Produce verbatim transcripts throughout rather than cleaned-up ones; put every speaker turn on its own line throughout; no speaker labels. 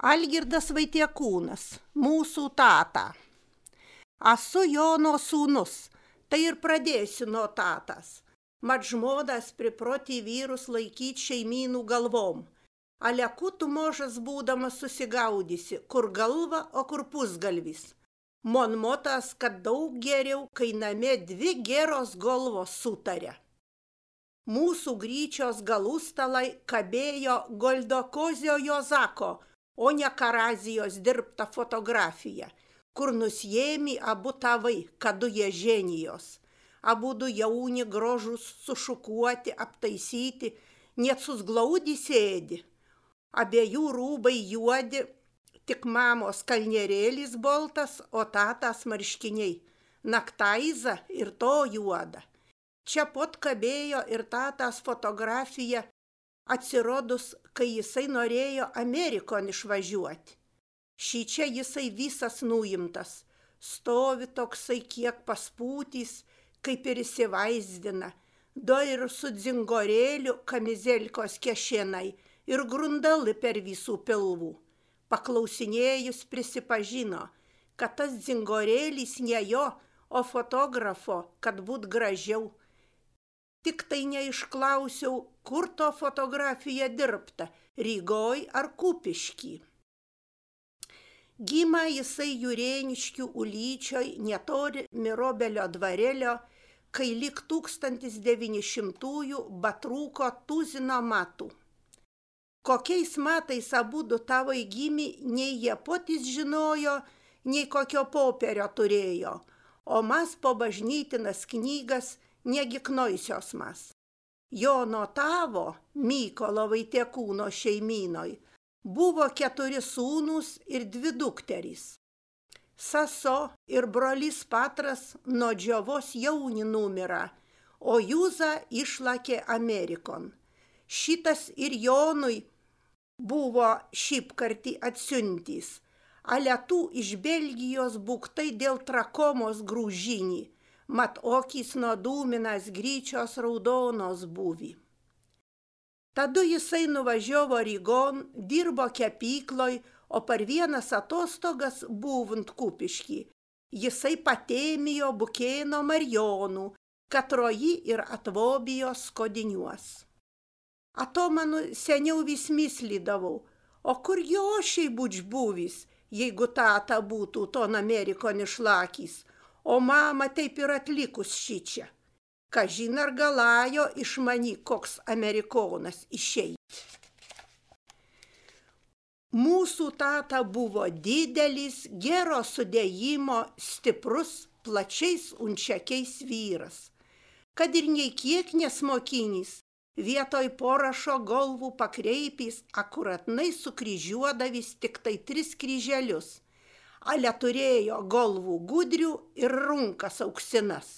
Algirdas Vaitiekūnas, mūsų tata. Asu Jono sūnus, tai ir pradėsiu nuo tatas. Mat žmodas priproti vyrus laikyti šeimynų galvom. Aleku tu možas būdamas susigaudysi, kur galva, o kur pusgalvis. Mon motas, kad daug geriau, kai namie dvi geros galvos sutarė. Mūsų gryčios galustalai kabėjo Goldokozio Jozako, o ne Karazijos dirbta fotografija, kur nusjėmi abu tavai, kadu jie ženijos. Abudu jauni grožus sušukuoti, aptaisyti, net susglaudi sėdi. Abiejų rūbai juodi, tik mamos kalnerėlis boltas, o tatas marškiniai. Naktaiza ir to juoda. Čia pot kabėjo ir tatas fotografija, atsirodus, kai jisai norėjo Amerikon išvažiuoti. Šičia jisai visas nuimtas, stovi toksai kiek paspūtys, kaip ir įsivaizdina, do ir su dzingorėliu kamizelkos kešenai ir grundali per visų pilvų. Paklausinėjus prisipažino, kad tas dzingorėlis ne jo, o fotografo, kad būt gražiau. Tik tai neišklausiau, kur to fotografija dirbta, Rygoj ar Kupišky. Gimė jisai Jurėniškių Ulyčioj netoli Mirobelio dvarelio, kai lik tūkstantis devyni šimtųjų batrūko tuzino matų. Kokiais matais abudu tavai gimė, nei jie patys žinojo, nei kokio poperio turėjo, o mas po bažnytinas knygas negi knoisios mas. Jono tavo, Mykolo Vaitiekūno šeimynoj, buvo keturi sūnūs ir dvi dukterys. Saso ir brolis Patras nuo džiovos jauni numira, o Jūza išlakė Amerikon. Šitas ir Jonui buvo šipkartį atsiuntys, ale tų iš Belgijos buktai dėl trakomos grūžinį, mat okys nuo dūminas gryčios raudonos būvi. Tadu jisai nuvažiavo Rygon, dirbo kepykloj, o per vienas atostogas buvant Kupišky. Jisai patėmijo Bukėno Marijonų, katroji ir atvobijo skodiniuos. Ato manu seniau vis myslydavau, o kur jošiai būč buvis, jeigu tata būtų ton Amerikon išlakys, o mama taip ir atlikus šičia. Kažin ar galajo iš mani koks Amerikonas išeit. Mūsų tata buvo didelis, gero sudėjimo, stiprus, plačiais unčiakiais vyras. Kad ir nei kiek nesmokinis, vietoj porašo galvų pakreipys akuratnai sukryžiuodavis tik tai tris kryželius, ale turėjo galvų gudrių ir runkas auksinas.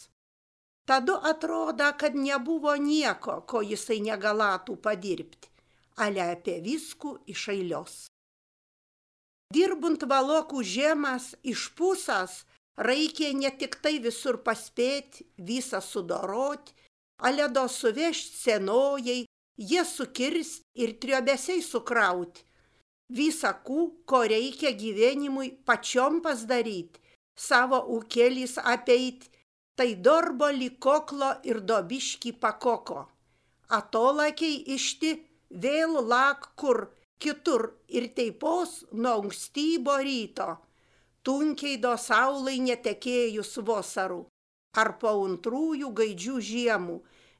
Tadu atrodo, kad nebuvo nieko, ko jisai negalatų padirbti, ale apie viskų iš eilios. Dirbant valokų žemas iš pusas, reikė ne tik tai visur paspėti, visą sudoroti, ale do suvežti senojai, jie sukirsti ir triobesiai sukrauti. Visakų, ko reikia gyvenimui pačiom pasdaryti, savo ūkelis apeiti, tai darbo likoklo ir dobiški pakoko. Atolakiai išti vėl lak kur kitur ir teipos nuo ankstybo ryto, tunkiai do saulai netekėjus vasarų, ar po antrųjų gaidžių žiemų,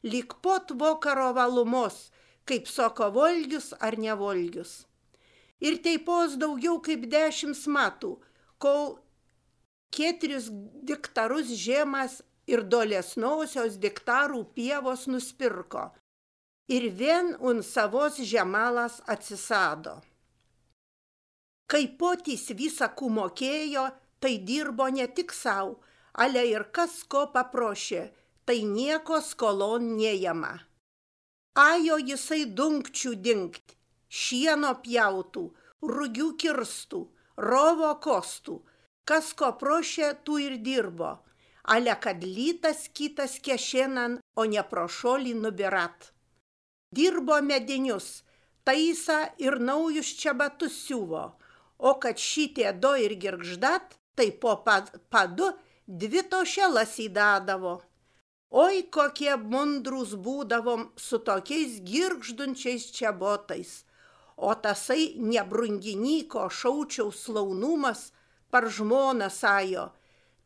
lik pot vakaro valumos, kaip soko volgius ar nevolgius. Ir teipos daugiau kaip dešimt metų, kol keturis diktarus žemas ir dolesnosios diktarų pievos nuspirko, ir vien un savos žemalas atsisado. Kai potys visakų mokėjo, tai dirbo ne tik sau, ale ir kas ko paprošė, tai nieko skolon nejama. Ajo jisai dunkčių dingt, šieno pjautų, rugių kirstų, rovo kostų, kas ko prošė, tų ir dirbo, ale kad lytas kitas kešenan, o ne prošolį nubirat. Dirbo medinius, taisa ir naujus čebatus siuvo, o kad šitie do ir girgždat, tai po padu dvi tošelas įdadavo. Oi, kokie mundrus būdavom su tokiais girgždunčiais čiabotais, o tasai nebrunginyko šaučiaus slaunumas par žmoną sajo,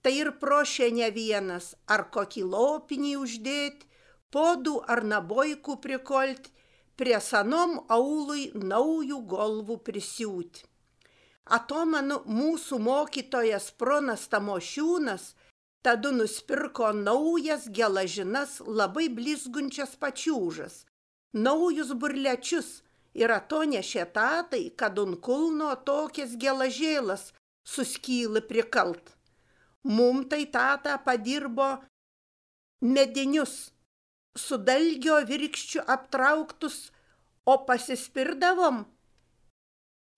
tai ir prošė ne vienas, ar kokį lopinį uždėt, podų ar nabojkų prikolt, prie sanom aului naujų golvų prisiūt. Atomanu mūsų mokytojas Pronas Tamošiūnas tadu nuspirko naujas gelažinas labai blizgunčias pačiūžas, naujus burlečius ir atonešė tatai, kad ant kulno tokias gelažėlas suskyla prikalt. Mum tai tata padirbo medinius, su dalgio virkščiu aptrauktus, o pasispirdavom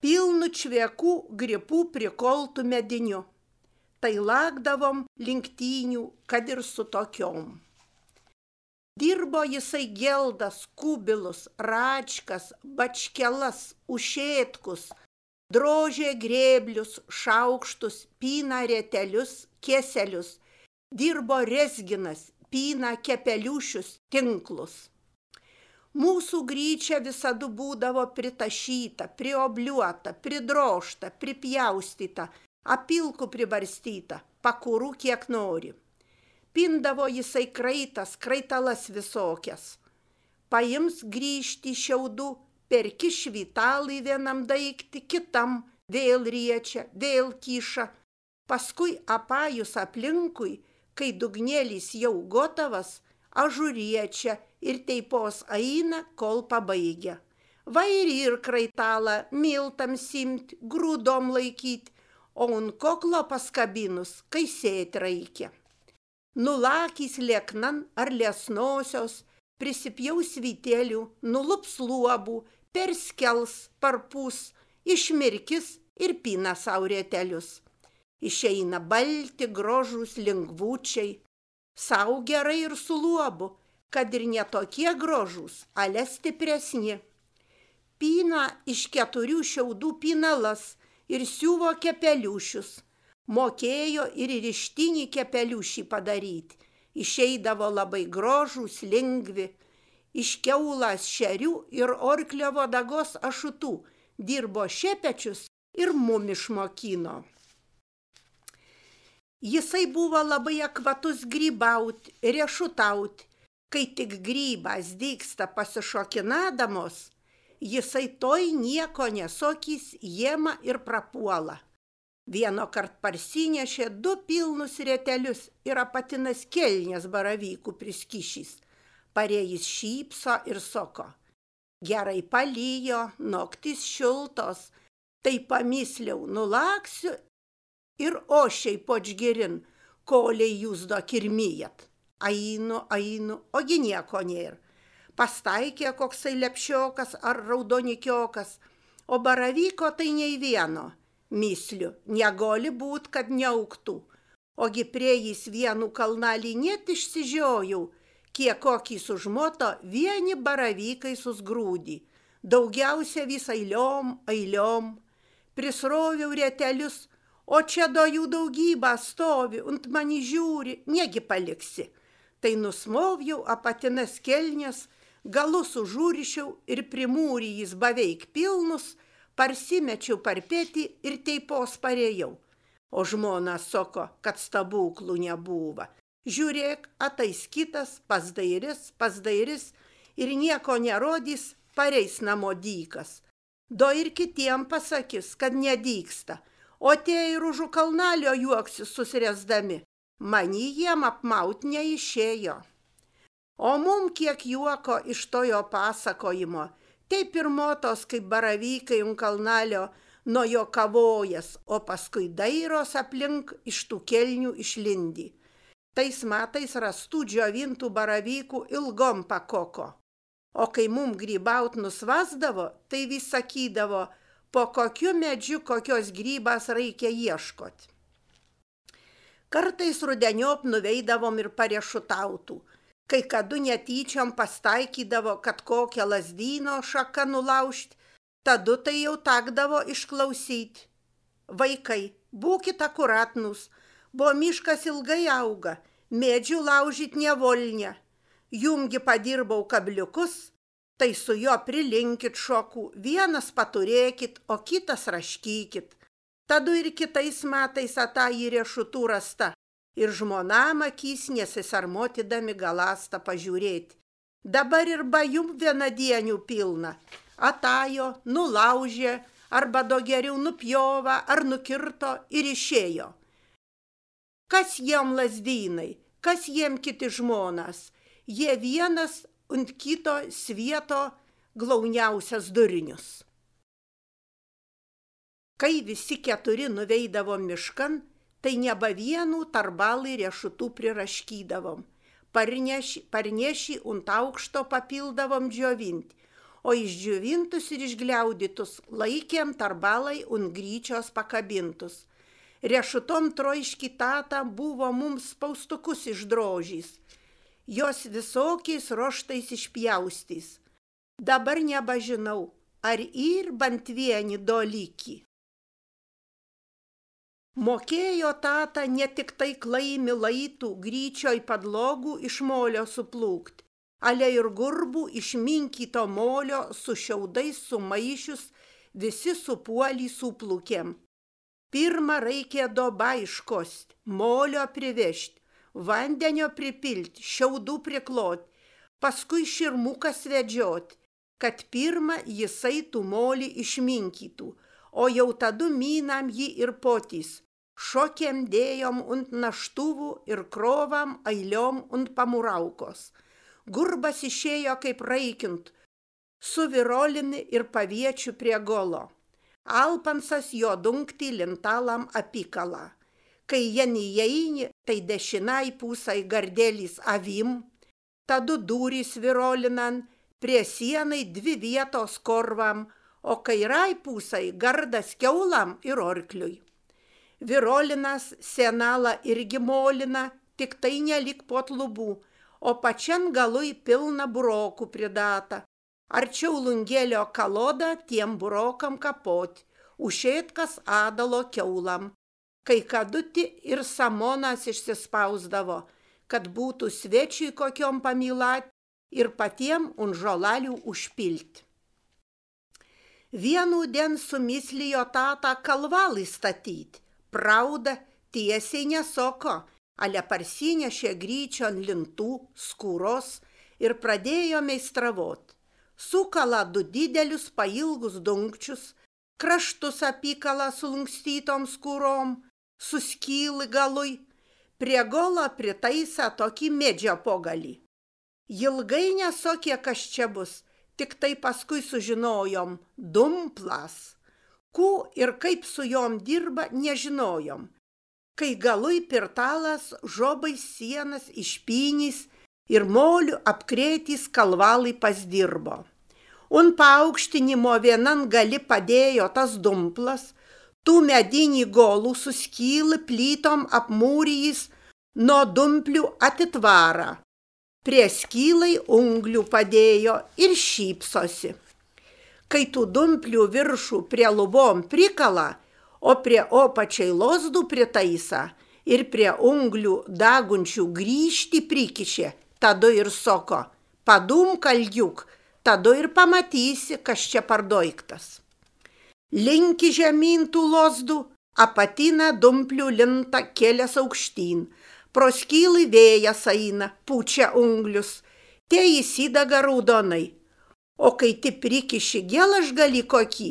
pilnu čviekų gripų prikoltų mediniu. Tai lakdavom lenktynių, kad ir su tokiom. Dirbo jisai geldas, kubilus, račkas, bačkelas, ušėtkus, drožė grėblius, šaukštus, pina retelius, keselius. Dirbo rezginas, pina kepeliušius, tinklus. Mūsų gryčia visada būdavo pritašyta, priobliuota, pridrožta, pripjaustyta, apilkų pribarstyta, pakurų kiek nori. Pindavo jisai kraitas, kraitalas visokias. Paims grįžti šiaudų, perki švitalai vienam daikti, kitam vėl riečia, vėl kiša. Paskui apajus aplinkui, kai dugnėlis jau gotavas, ažuriečia ir teipos aina, kol pabaigia. Va ir ir kraitalą miltam simt, grūdom laikyt, o ant koklo paskabinus, kai sėt reikia. Nulakys lieknan ar liesnosios, prisipjaus vytelių, nulups luobų, perskels, parpus, išmirkis ir pina saurėtelius. Išeina balti, grožus, lengvučiai. Sau gerai ir su luobu, kad ir netokie grožus, ale stipresni. Pina iš keturių šiaudų pinalas ir siuvo kepeliušius. Mokėjo ir rištinį kepeliušį padaryti. Išeidavo labai grožus, lengvi. Iš kiaulas šerių ir orklio vodagos ašutų dirbo šepečius ir mum išmokino. Jisai buvo labai akvatus grybaut, riešutaut. Kai tik grybas dygsta pasišokinadamos, jisai toj nieko nesokys, jėma ir prapuola. Vieno kart parsinešė du pilnus retelius ir apatinas kelnės baravykų priskišys. Parėjis šypso ir soko. Gerai palyjo, noktis šiltos, tai pamisliau nulaksiu ir ošiai počgerin, koliai jūs do kirmijat. Ainu, ainu, ogi nieko nėr. Pastaikė koksai lepšiokas ar raudonikiokas, o baravyko tai nei vieno. Misliu, negali būt, kad neauktų. Ogi prie jis vienų kalnalį net išsižiojau, kiek kokį sužmoto vieni baravykai susgrūdį. Daugiausia vis eiliom, eiliom. Prisroviau retelius, o čia do jų daugybą stovi, ant mani žiūri, negi paliksi. Tai nusmoviau apatinas kelnes, galus užūrišiau ir primūrį jis beveik pilnus, parsimečiau parpėti ir teipos parėjau. O žmona soko, kad stabuklų nebuva. Žiūrėk, atais kitas, pasdairis, pasdairis ir nieko nerodys, pareis namo dykas. Do ir kitiem pasakys, kad nedyksta, o tie ir už kalnalio juoksis susirėsdami. Mani jiem apmaut neišėjo. O mum kiek juoko iš tojo pasakojimo, taip ir motos kaip baravykai ant kalnalio nuo jo kavojas, o paskui dairos aplink iš tų kelnių išlindi. Tais metais rastų džiovintų baravykų ilgom pakoko. O kai mum grybaut nusvasdavo, tai vis sakydavo, po kokiu medžiu kokios grybas reikia ieškot. Kartais rudeniop nuveidavom ir pariešutautų. Kai kadu netyčiom pastaikydavo, kad kokią lazdyno šaką nulaužt, tadu tai jau takdavo išklausyti. vaikai, būkit akuratnus, bo miškas ilgai auga, medžių laužyt nevolnia. Jumgi padirbau kabliukus, tai su jo prilinkit šokų, vienas paturėkit, o kitas raškykit. Tadu ir kitais metais ata į riešutų rasta, ir žmonam akys nesisarmotydami galasta pažiūrėti. Dabar ir bajum vienadienių pilna, atajo, nulaužė, arba do geriau nupjova, ar nukirto ir išėjo. Kas jiem lazdynai, kas jiem kiti žmonas, jie vienas ant kito svieto glauniausias durinius. Kai visi keturi nuveidavom miškan, tai neba vienų tarbalai riešutų priraškydavom. Parneši, parneši ant aukšto papildavom džiovinti, o išdžiovintus ir išgliaudytus laikėm tarbalai ant gryčios pakabintus. Riešutom troški tata buvo mums spaustukus išdrožys, jos visokiais roštais išpjaustys. Dabar nebažinau, ar ir bent vieni doliki. Mokėjo tata ne tik tai klaimi laitų gryčioj padlogų iš molio suplūkt, ale ir gurbų iš minkyto molio su šiaudais sumaišius visi supuolį suplūkėm. Pirma reikia dobą iškost, molio privežt, vandenio pripilt, šiaudų priklot, paskui širmukas vedžiot, kad pirma jisai tų molį išminkytų, o jau tadu minam jį ir potys. Šokėm dėjom ant naštuvų ir krovam ailiom ant pamuraukos. Gurbas išėjo kaip raikint, su virolini ir paviečiu prie golo. Alpansas jo dunkti lintalam apikala. Kai jen įeini, tai dešinai pusai gardelys avim, tadu durys virolinan, prie sienai dvi vietos korvam, o kairai pusai gardas kiaulam ir orkliui. Virolinas senalą irgi molina, tik tai nelik pot lubų, o pačian galui pilna burokų pridata. Arčiau lungėlio kaloda tiem burokam kapot, ušėtkas adalo kiaulam. Kai kaduti ir samonas išsispausdavo, kad būtų svečiui kokiom pamylat ir patiem un žolalių užpilt. Vienų dien sumislijo tata kalvalį statyt. Prauda tiesiai nesoko, ale parsinešė gryčion lintų, skūros ir pradėjo meistravot. Sukala du didelius pailgus dunkčius, kraštus apykala sulunkstytom skūrom, suskyli galui, prie golo pritaisa tokį medžio pogalį. Ilgai nesokė, kas čia bus, tik tai paskui sužinojom dumplas. Ku ir kaip su jom dirba, nežinojom. Kai galui pirtalas žobais sienas išpynys ir moliu apkrėtys kalvalai pasdirbo. Un paaukštinimo vienan gali padėjo tas dumplas, tų medinį golų suskyli plytom apmūrijys nuo dumplių atitvarą. Prie skylai unglių padėjo ir šypsosi. Kai tų dumplių viršų prie lubom prikala, o prie opačiai lozdų pritaisa ir prie unglių dagunčių grįžti prikišė, tada ir soko, padum kalgiuk, tada ir pamatysi, kas čia pardoiktas. Linki žemyn tų lozdų, apatina dumplių linta kelias aukštyn, pro skylį vėjas eina, pučia unglius, tie įsidaga raudonai. O kai ti prikiši gelažgalį kokį,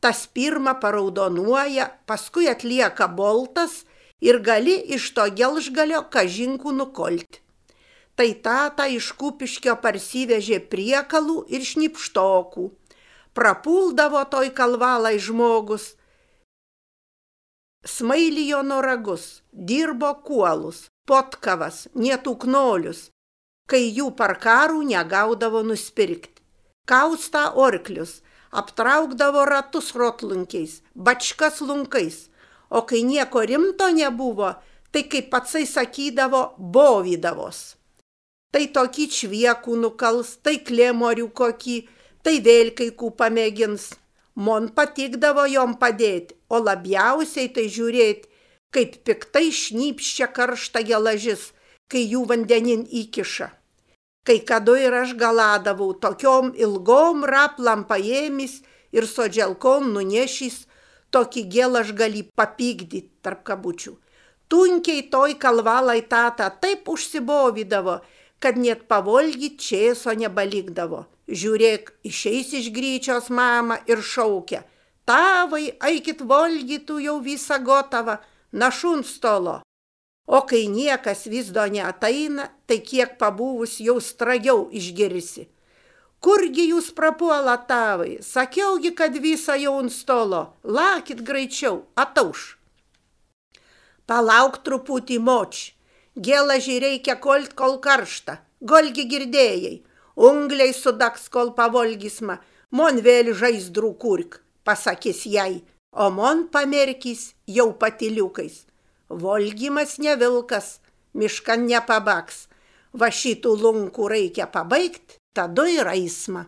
tas pirma paraudonuoja, paskui atlieka boltas ir gali iš to gelžgalio kažinkų nukolti. Tai tata iš Kupiškio parsivežė priekalų ir šnipštokų. Prapuldavo toj kalvalai žmogus. Smailijo noragus, dirbo kuolus, potkavas, nietuknolius, kai jų parkarų negaudavo nuspirkti. Kausta orklius, aptraukdavo ratus rotlunkiais, bačkas lunkais, o kai nieko rimto nebuvo, tai kaip patsai sakydavo, bovydavos. Tai tokį čviekų nukals, tai klėmorių kokį, tai vėl kai kų pamėgins. Mon patikdavo jom padėti, o labiausiai tai žiūrėti, kaip piktai šnypščia karšta gelažis, kai jų vandenin įkiša. Kai kada ir aš galadavau tokiom ilgom raplam paėmis ir sodželkom nunešys, tokį gėlaž gali papykdyti tarp kabučių. Tunkiai toj kalvalai tata taip užsibovydavo, kad net pavolgyt čėso nebalikdavo. Žiūrėk, išeis iš gryčios mama ir šaukia: tavai, eikit volgytų jau visą gotavą, našun stolo. O kai niekas vis do neateina, tai kiek pabuvus jau stragiau išgirsi. Kurgi jūs prapuola tavai, sakiaugi, kad visą jau ant stolo, lakit greičiau, atauš. Palauk truputį moč, gėlažį reikia kolt kol karšta, golgi girdėjai, ungliai sudaks kol pavolgysma, mon vėl žaizdrų kurk, pasakys jai, o mon pamerkys jau patiliukais. Volgymas ne vilkas, miškan nepabaks, va šitų lunkų reikia pabaigt, tada ir eisma.